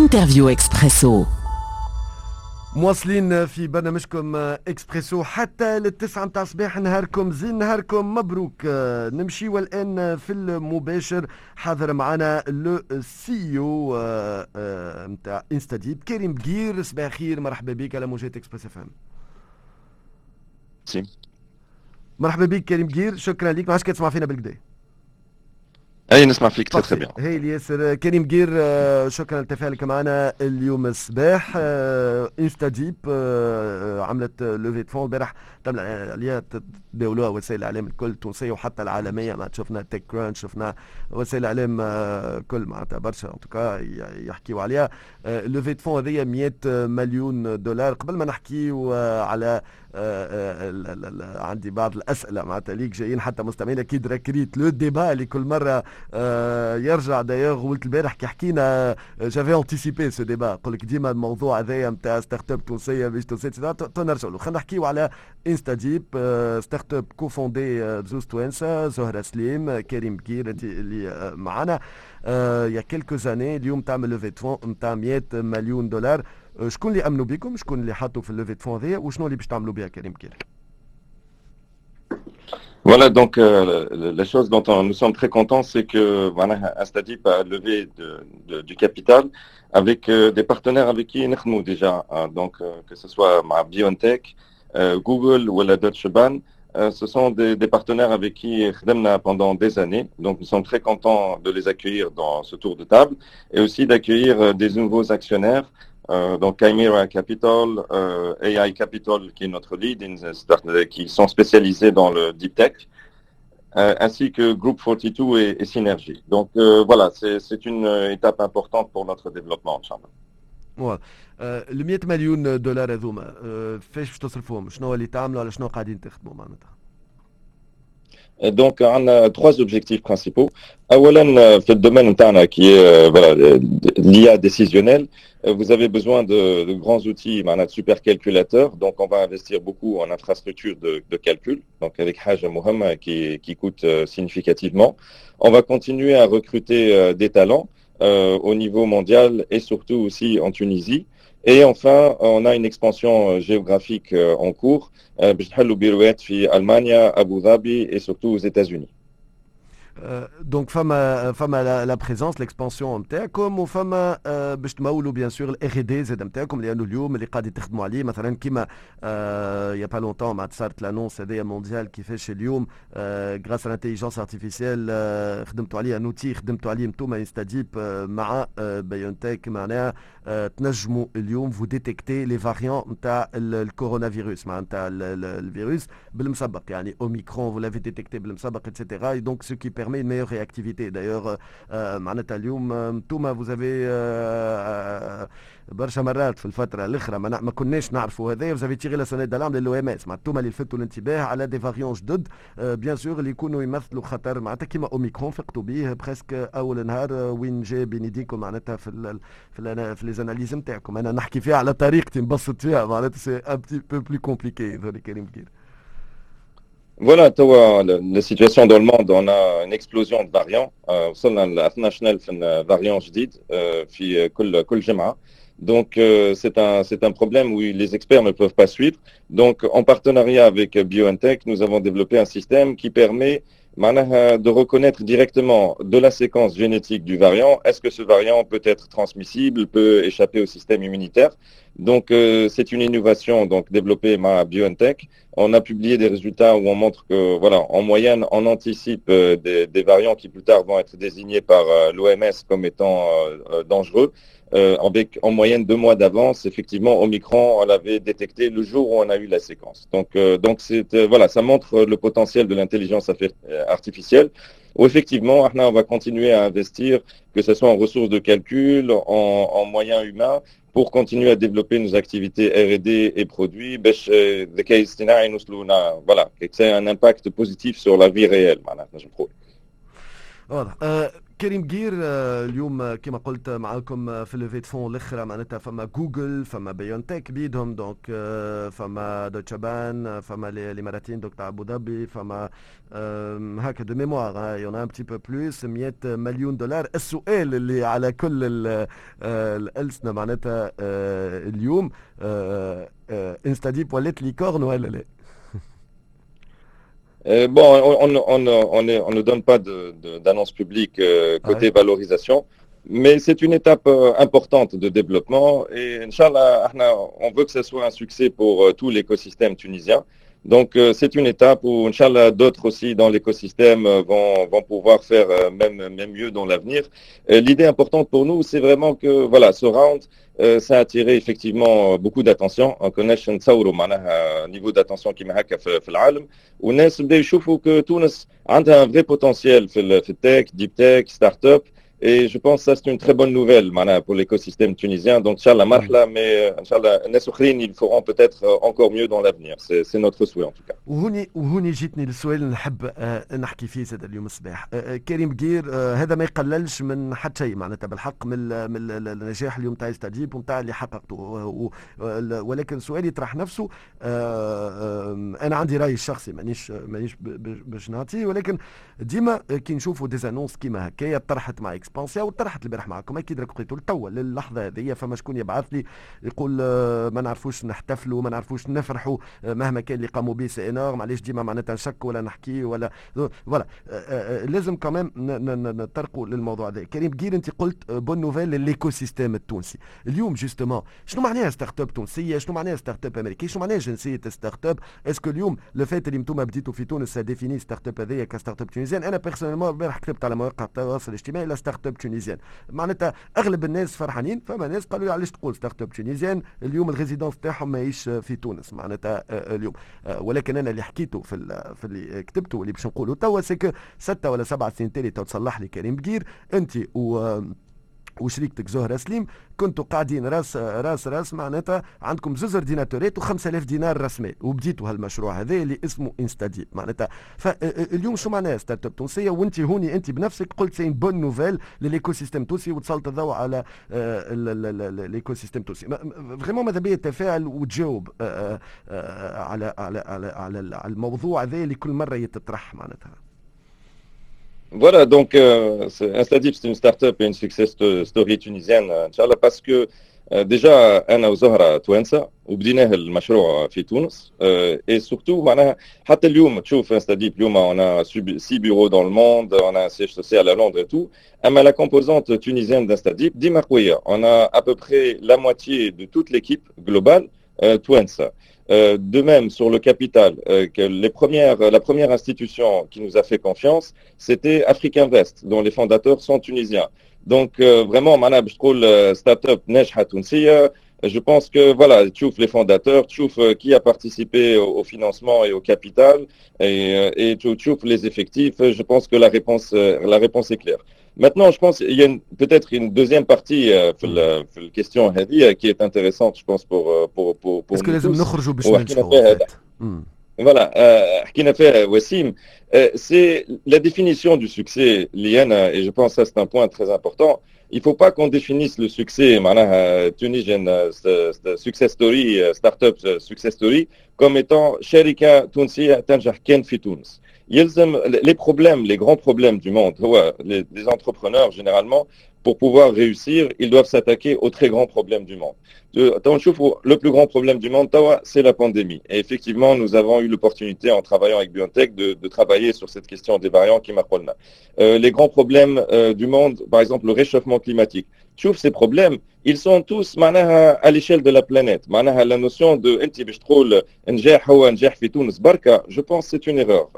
Interview Expresso. مواصلين في برنامجكم اكسبريسو حتى لل9 متاع الصباح. نهاركم زين، نهاركم مبروك. نمشي والان في المباشر، حاضر معنا le CEO نتاع InstaDeep كريم بقير. صباح خير، مرحبا بك على موجات Express FM. مرحبا بك كريم بقير، شكرا لك. ما عادش كتسمع فينا بالقدا؟ اي، نسمع فيك très bien. هايل ياسر كريم بقير، شكرا لتفاعلك معنا اليوم الصباح. InstaDeep عملت levée de fonds البارح، تم عليها تداولوها وسائل الاعلام الكل، التونسية وحتى العالميه. ما شفنا TechCrunch، شفنا وسائل الاعلام كل، معناتها برشا en tout cas يحكيوا عليها. levée de fonds هذيا 100 مليون دولار. قبل ما نحكيو على عندي بعض الاسئلة معناتها ليك جايين حتى مستمعين، اكيد راك ريت le débat اللي كل مرة يرجع. d'ailleurs قلت البارح كي حكينا j'avais anticipé ce débat، نقول لك ديما الموضوع هذايا نتاع startup تونسية مش تونسيه، نرجع له. خلينا نحكيو على InstaDeep، startup cofondée بزوز توانسه، زهره سليم، كريم بقير، انت اللي معنا il y a quelques années. اليوم تعمل levée de fonds نتاع 100 مليون دولار. شكون اللي امنوا بكم؟ شكون اللي حطوا في ال levée de fonds هذيا؟ وشنو اللي باش تعملوا بها كريم بقير؟ Voilà, donc la chose dont nous sommes très contents, c'est que voilà, InstaDeep a levé du capital avec des partenaires avec qui nous déjà, hein, donc que ce soit مع BioNTech, Google ou la Deutsche Bahn, ce sont des partenaires avec qui خدمنا pendant des années. Donc nous sommes très contents de les accueillir dans ce tour de table et aussi d'accueillir des nouveaux actionnaires, donc Chimera Capital, AI Capital qui est notre lead, qui sont spécialisés dans le deep tech, ainsi que Group 42 et Synergy. Donc voilà, c'est une étape importante pour notre développement, إن شاء الله. ال 100 مليون دولار هذوما فاش باش تصرفوهم؟ شنو اللي تعملوا؟ على شنو قاعدين تخدموا معناتها؟ Donc, on a trois objectifs principaux. أولا في ال domaine نتاعنا qui est voilà, l'IA décisionnelle, vous avez besoin de grands outils, معناها de supercalculateurs. Donc, on va investir beaucoup en infrastructure de calcul. Donc, avec حاجة مهمة qui coûte significativement. On va continuer à recruter des talents au niveau mondial et surtout aussi en Tunisie. Et enfin, on a une expansion géographique en cours باش نحلوا بيروات في ألمانيا، أبو ظبي et surtout aux États-Unis. Donc فما la présence، l'expansion نتاعكم، وفما باش تمولوا bien sûr ال R&D زاد نتاعكم، لانه اليوم اللي قاعد تخدموا عليه مثلا كيما il y a pas longtemps معناتها صارت l'annonce هذايا mondiale، كيفاش اليوم grâce à l'intelligence artificielle خدمتوا عليه un outil، خدمتوا عليه انتوما InstaDeep مع BioNTech، معناها تنجموا اليوم vous détectez les variants نتاع الكورونا فيروس، معناتها الفيروس بالمسبق، يعني اوميكرون vous l'avez détecté بالمسبق et cetera، donc ce qui permet une meilleure réactivité. D'ailleurs, معناتها اليوم انتوما vous avez برشا مرات في الفترة الأخرى ما كناش نعرفوا هذا، vous avez tiré la sonnette d'alarme لل OMS، معناتها انتوما اللي لفتوا الانتباه على des variants جدد bien sûr اللي يكونوا يمثلوا خطر، معناتها كيما اوميكرون فقتوا به presque اول نهار وين جا بين يديكم، معناتها في les analyses نتاعكم. انا نحكي فيها على طريقتي، نبسط فيها، معناتها c'est un petit peu plus compliqué ذولي كريم بقير. Voilà, توا la situation dans le monde, on a une explosion de variants. وصلنا ل 12,000 variants جديد في كل جمعة. Donc c'est un problème où les experts ne peuvent pas suivre. Donc en partenariat avec BioNTech, nous avons développé un système qui permet معناها de reconnaître directement de la séquence génétique du variant, est-ce que ce variant peut être transmissible, peut échapper au système immunitaire. Donc c'est une innovation donc développée par BioNTech. On a publié des résultats où on montre que voilà, en moyenne, on anticipe des variants qui plus tard vont être désignés par l'OMS comme étant dangereux. Avec en moyenne 2 mois d'avance, effectivement, Omicron, on l'avait détecté le jour où on a eu la séquence. Donc c'est, voilà, ça montre le potentiel de l'intelligence artificielle. Où effectivement, احنا on va continuer à investir, que ce soit en ressources de calcul, en moyens humains, pour continuer à développer nos activités R&D et produits, باش الذكاء الاصطناعي نوصلوا voilà, que ça ait un impact positif sur la vie réelle, معناتها نجم نقول. واضح. كريم بقير، اليوم كما قلت معاكم في levée de fonds الاخرى، معناتها فما جوجل، فما بيونتك بيدهم، donc فما دوتشا بان، فما الاماراتيين donc تاع ابو ظبي، فما هكا de mémoire y en a un petit peu plus، 100 مليون دولار. السؤال اللي على كل الالسنه معناتها اليوم، InstaDeep ولات licorne ولا لا؟ Bon, on ne donne pas d'annonce publique côté valorisation, mais c'est une étape importante de développement et إن شاء الله, on veut que ce soit un succès pour tout l'écosystème tunisien. Donc c'est une étape où, إن شاء الله, d'autres aussi dans l'écosystème vont pouvoir faire même mieux dans l'avenir. L'idée importante pour nous, c'est vraiment que voilà, ce round, ça a attiré effectivement beaucoup d'attention. ما كناش نتصوروا معناها niveau d'attention كيما هكا في العالم، والناس بداوا يشوفوا que تونس عندها un vrai potentiel في ال tech, deep tech, start-up. Et je pense que ça, c'est une très bonne nouvelle معناها pour l'écosystème tunisien. Donc, إن شاء الله, مرحلة, mais إن شاء الله, الناس أخرين, ils feront peut-être encore mieux dans l'avenir. C'est notre souhait en tout cas. وهوني جيتني للسؤال اللي نحب نحكي فيه زاد اليوم الصباح. كريم بقير، هذا ما يقللش من حتى شيء معناتها بالحق من النجاح اليوم تاع InstaDeep ونتاع اللي حققته، ولكن سؤال يطرح نفسه. انا عندي رايي الشخصي، مانيش باش نعطيه، ولكن ديما كي نشوفوا des annonces كيما هكايا طرحت مع Expansia وطرحت البارح معكم، اكيد راك لقيتوا توا للحظه هذه فما شكون يبعث لي يقول ما نعرفوش نحتفلوا، ما نعرفوش نفرحوا، مهما كان اللي قاموا به c'est énorme، علاش ديما معناتها نشك ولا نحكي ولا voilà. لازم quand même نطرقوا للموضوع هذا. كريم بقير، انت قلت bonne nouvelle لل écosystème التونسي. اليوم justement شنو معناها startup تونسيه؟ شنو معناها startup امريكيه؟ شنو معناها جنسيه startup؟ est-ce que اليوم le fait اللي انتم بديتوا في تونس définit startup هذيا ك startup tunisienne؟ انا personnellement البارح كتبت على مواقع التواصل الاجتماعي la startup tunisienne، معناتها اغلب الناس فرحانين. فما ناس قالوا لي علاش تقول startup tunisienne؟ اليوم ال résidence تاعهم ماهيش في تونس معناتها اليوم. ولكن انا اللي حكيته في اللي كتبته واللي باش نقوله توا، c'est que 6 ولا 7 سنين تالي، تصلح لي كريم بقير، انت و وشريكتك زهرة سليم كنتوا قاعدين راس راس راس، معناتها عندكم زوز ordinateur ات و5000 دينار راس مال وبديتوا هالمشروع هذا اللي اسمه InstaDeep. معناتها فاليوم شو معناها startup تونسيه؟ وانت هوني انت بنفسك قلت c'est une bonne nouvelle لل écosystème التونسي وتسلط الضوء على l'écosystème التونسي. vraiment ماذا بيا تفاعل وتجاوب على الموضوع هذا اللي كل مره يتطرح معناتها. Voilà, donc InstaDeep, c'est une start-up et une success story tunisienne, إن شاء الله, parce que déjà, أنا وزهرة توانسة وبديناه المشروع في تونس et surtout معناها حتى اليوم تشوف InstaDeep اليوم on a six bureaux dans le monde, on a un siège social à Londres et tout, أما la composante tunisienne d'InstaDeep ديما قوية. On a à peu près la moitié de toute l'équipe globale توانسة. De même, sur le capital, que la première institution qui nous a fait confiance, c'était AfricInvest, dont les fondateurs sont tunisiens. Donc, vraiment, معناها باش تقول start-up ناجحة تونسية, je pense que voilà, تشوف les fondateurs, تشوف qui a participé au financement et au capital, et تشوف les effectifs. Je pense que la réponse est claire. Maintenant, je pense qu'il y a peut-être une deuxième partie في ال question هذه qui est intéressante, je pense, pour Est-ce que لازم نخرجوا باش ننجحوا؟ Voilà, حكينا فيها وسيم, c'est la définition du succès اللي أنا, et je pense que ça c'est un point très important. Il faut pas qu'on définisse le succès, معناها Tunisian success story, startup success story, comme étant شركة تونسية تنجح كان في تونس. يلزم les problèmes, les grands problèmes du monde, les entrepreneurs généralement, pour pouvoir réussir, ils doivent s'attaquer aux très grands problèmes du monde. Le plus grand problème du monde توا, c'est la pandémie. Et effectivement, nous avons eu l'opportunité, en travaillant avec BioNTech, de travailler sur cette question des variants كيما قلنا. Les grands problèmes du monde, par exemple le réchauffement climatique. تشوف ces problèmes, ils sont tous معناها à l'échelle de la planète. معناها la notion de انت باش تقول نجاح هو نجاح في تونس بركة, je pense que c'est une erreur.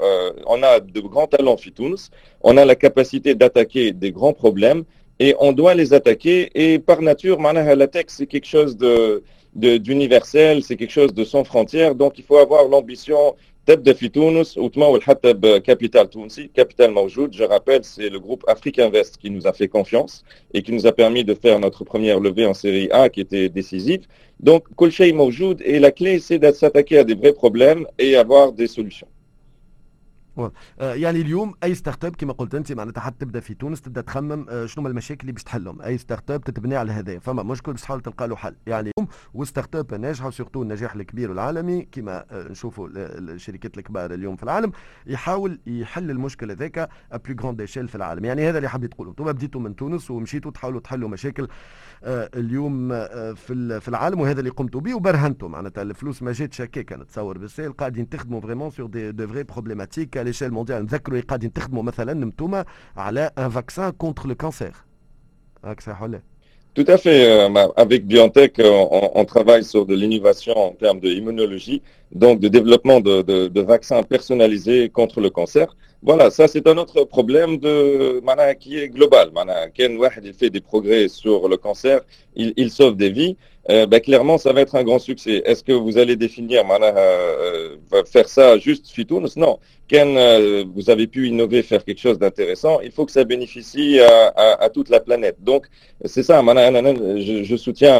On a de grands talents في تونس, on a la capacité d'attaquer des grands problèmes et on doit les attaquer. Et par nature, معناها la tech, c'est quelque chose de d'universel, c'est quelque chose de sans frontières. Donc il faut avoir l'ambition تبدا في تونس وتمول حتى ب capital تونسي، capital موجود. Je rappelle, c'est le groupe AfricInvest qui nous a fait confiance et qui nous a permis de faire notre première levée en série A qui était décisive. Donc كل شيء موجود et la clé, c'est de s'attaquer à des vrais problèmes et avoir des solutions. يعني اليوم اي startup كما قلت انت، معناتها حتى تبدا في تونس تبدا تخمم شنو هما المشاكل اللي باش تحلهم. اي startup تتبني على هذا، فما مشكل باش تحاول تلقى له حل. يعني و startup ناجحه، surtout النجاح الكبير والعالمي كما نشوفوا الشركات الكبار اليوم في العالم، يحاول يحل المشكل هذاك à plus grande échelle في العالم. يعني هذا اللي حبيت تقولوا، انتم بديتوا من تونس ومشيتوا تحاولوا تحلوا مشاكل اليوم في العالم، وهذا اللي قمتوا به وبرهنتوا. معناتها الفلوس ما جاتش هكاك، نتصور بالسهل، قاعدين تخدموا vraiment sur des de vraies problématiques à l'échelle mondiale. نذكروا قاعدين تخدموا مثلا انتم على un vaccin contre le cancer، هاك صحيح ولا؟ Tout à fait. Avec BioNTech, on travaille sur de l'innovation en termes d'immunologie, donc de développement de vaccins personnalisés contre le cancer. Voilà, ça c'est un autre problème de معناها qui est global. معناها كان واحد il fait des progrès sur le cancer, il sauve des vies. Ben, clairement, ça va être un grand succès. Est-ce que vous allez définir, معناها, faire ça juste في تونس؟ Non. كان vous avez pu innover, faire quelque chose d'intéressant, il faut que ça bénéficie à toute la planète. Donc, c'est ça, معناها, je soutiens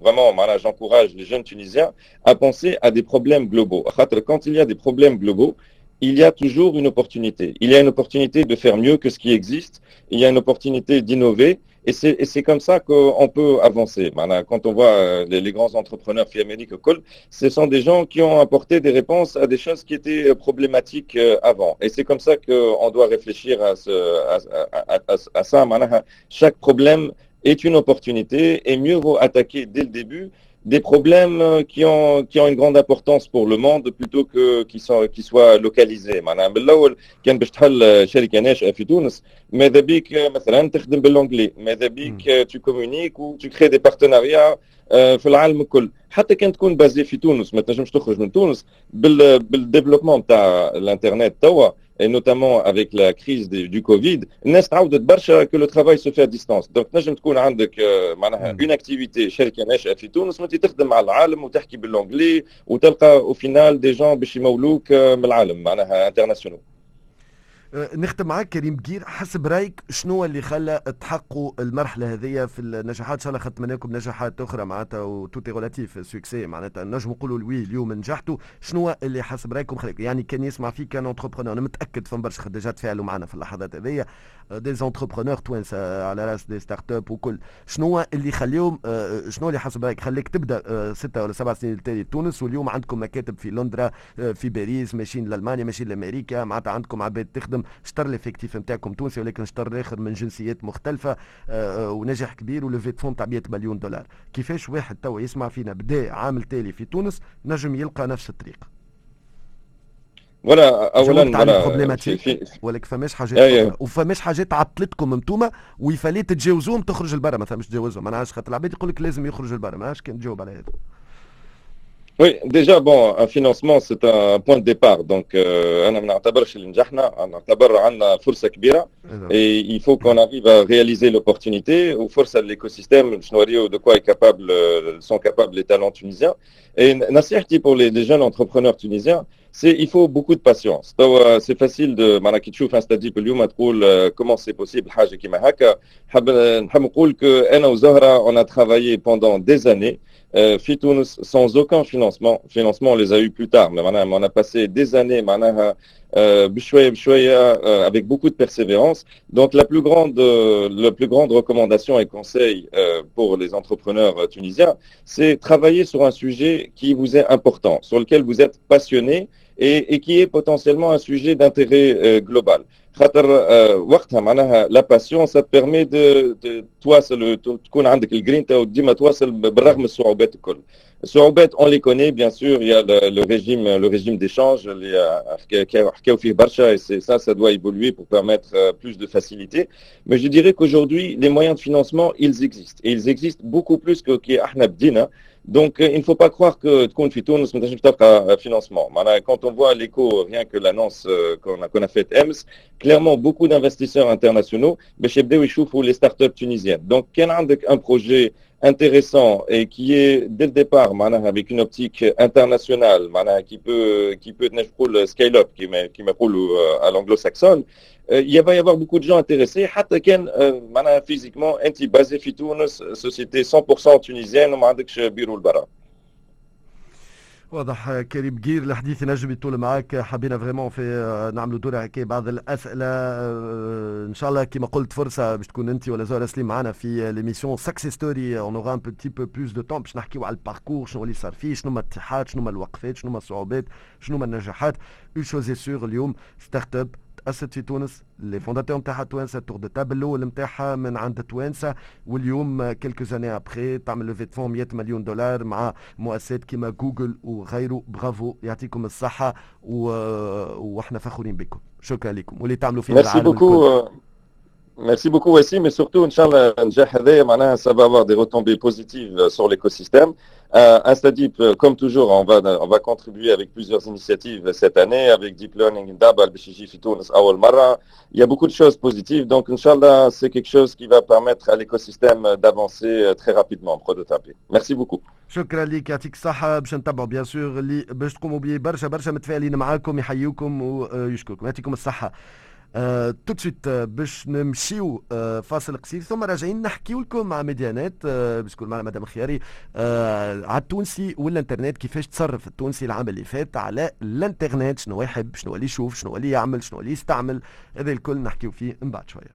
vraiment, معناها, j'encourage les jeunes Tunisiens à penser à des problèmes globaux. خاطر quand il y a des problèmes globaux, il y a toujours une opportunité. Il y a une opportunité de faire mieux que ce qui existe. Il y a une opportunité d'innover. Et c'est comme ça qu'on peut avancer. معناها, quand on voit les grands entrepreneurs في أمريكا الكل, ce sont des gens qui ont apporté des réponses à des choses qui étaient problématiques avant. Et c'est comme ça qu'on doit réfléchir à ça. معناها, chaque problème est une opportunité et mieux vaut attaquer dès le début des problèmes qui ont une grande importance pour le monde plutôt que qui soient localisés. معناها من الاول كان باش تحل شركه ناشئه في تونس، ماذا بيك مثلا تخدم بال anglais، ماذا بيك tu communiques و tu crées des partenariats في العالم الكل، حتى كان تكون basé في تونس ما تنجمش تخرج من تونس. بال développement تاع الانترنت توا et notamment avec la crise du Covid, الناس تعودت برشا que le travail se fait à distance. Donc تنجم تكون عندك معناها une activité، شركه ناشئه في تونس وانت تخدم مع العالم وتحكي بال anglais وتلقى au final des gens باش يمولوك من العالم، معناها internationaux. نختم معك كريم بقير، حسب رايك شنو اللي خلى تحققوا المرحله هذه في النجاحات؟ ان شاء الله نتمنى لكم نجاحات اخرى، معناتها و tout est relatif succès، معناتها نجم نقولوا oui اليوم نجحتوا. شنو اللي حسب رايكم خليكم؟ يعني كان يسمع فيك un entrepreneur، انا متاكد فما برشا déjà تفاعلوا معنا في اللحظات هذيا des entrepreneurs توانسه على راس des startups وكل، شنو اللي يخليهم شنو اللي حسب رايك خليك تبدا 6 ولا 7 سنين التالي تونس، واليوم عندكم مكاتب في لندرا، في باريس، ماشيين لالمانيا، ماشيين لامريكا، معناتها عندكم عباد تخدم، شطر l'effectif نتاعكم تونسي ولكن شطر الاخر من جنسيات مختلفه، ونجاح كبير و levée de fonds تاع 100 مليون دولار؟ كيفاش واحد توا يسمع فينا بدا عام التالي في تونس نجم يلقى نفس الطريق؟ voilà، اولا voilà problématique ولكن فماش حاجات أيه. وفماش حاجات عطلتكم انتوما و il fallait تتجاوزوهم تخرج لبرا مثلا؟ مش تجاوزهم، ما نعرفش، خاطر العباد يقول لك لازم يخرج لبرا، ما نعرفش كان تجاوب على هذا. Oui, déjà, bon, un financement, c'est un point de départ. Donc, أنا ما نعتبرش اللي نجحنا، نعتبر عندنا فرصة كبيرة. Et il faut qu'on arrive à réaliser l'opportunité وفرصة l'écosystème باش نوريو de quoi est capable, sont capables les talents tunisiens. Et نصيحتي pour les jeunes entrepreneurs tunisiens, c'est il faut beaucoup de patience. C'est facile de معناها كي تشوف InstaDeep اليوم تقول comment c'est possible حاجة كيما هكا. حاب نحب نقول que أنا وزهرة on a travaillé pendant des années في تونس sans aucun financement. Financement, on les a eu plus tard, mais معناها on a passé des années معناها بشوية بشوية avec beaucoup de persévérance. Donc la plus grande recommandation et conseil pour les entrepreneurs tunisiens, c'est travailler sur un sujet qui vous est important, sur lequel vous êtes passionné et qui est potentiellement un sujet d'intérêt global. خاطر وقتها معناها la passion ça permet de تواصل، تكون عندك الجرينتا وديما تواصل بالرغم من الصعوبات الكل. الصعوبات on les connaît bien sûr, il y a le régime d'échange اللي حكاو فيه برشا et c'est ça, ça doit évoluer pour permettre plus de facilité. Mais je dirais qu'aujourd'hui les moyens de financement, ils existent et ils existent beaucoup plus que كي احنا بدينا. Donc, il ne faut pas croire que تكون في تونس ما تنجمش تلقى financement. معناها quand on voit l'écho, rien que l'annonce qu'on a faite امس, clairement beaucoup d'investisseurs internationaux باش يبداو يشوفوا les startups tunisiennes. Donc, كان عندك un projet intéressant et qui est dès le départ معناها avec une optique internationale، معناها qui peut نقول scale up كيما يقولوا à l'anglo-saxonne, il va y avoir beaucoup de gens intéressés حتى كان معناها physiquement انت basé في تونس، société 100% tunisienne وما عندكش بيرو لبرا. واضح كريم بقير، الحديث نجم يطول معاك. حبينا vraiment في نعملوا دورة هكا بعض الاسئله. ان شاء الله كما قلت فرصة باش تكون انت ولا زهره سليم معنا في l'émission Success Story، on aura un petit peu plus de temps باش نحكيو على ال parcours، شنو اللي صار فيه، شنو هما الاتحاد، شنو هما الوقفات، شنو هما الصعوبات، شنو هما النجاحات. une chose est sûre، اليوم startup تأسست في تونس، les fondateurs نتاعها توانسه، tour de table الاول نتاعها من عند توانسه، واليوم quelques années après تعمل levée de fonds 100 مليون دولار مع مؤسسات كيما جوجل وغيره. برافو، يعطيكم الصحة واحنا فخورين بكم. شكرا لكم واللي تعملوا فيه. merci beaucoup. Merci beaucoup Wassim, et surtout, إن شاء الله, النجاح هذايا معناها ça va avoir des retombées positives sur l'écosystème. InstaDeep, comme toujours, on va contribuer avec plusieurs initiatives cette année, avec Deep Learning Indaba, باش يجي في تونس أول مرة. Il y a beaucoup de choses positives, donc إن شاء الله, c'est quelque chose qui va permettre à l'écosystème d'avancer très rapidement, prototyper. Merci beaucoup. شكرا لك، يعطيك الصحة. باش نتبعوا bien sûr اللي باش تقوموا به. برشا برشا متفائلين معاكم، يحيوكم ويشكركم، يعطيكم الصحة. Tout de suite باش نمشيو فاصل قصير ثم راجعين نحكيو لكم مع ميديانات باش تكون معنا مدام خياري على التونسي والانترنت، كيفاش تصرف التونسي العام اللي فات على الانترنت، شنو يحب، شنو اللي يشوف، شنو اللي يعمل، شنو اللي يستعمل. هذا الكل نحكيو فيه من بعد شويه.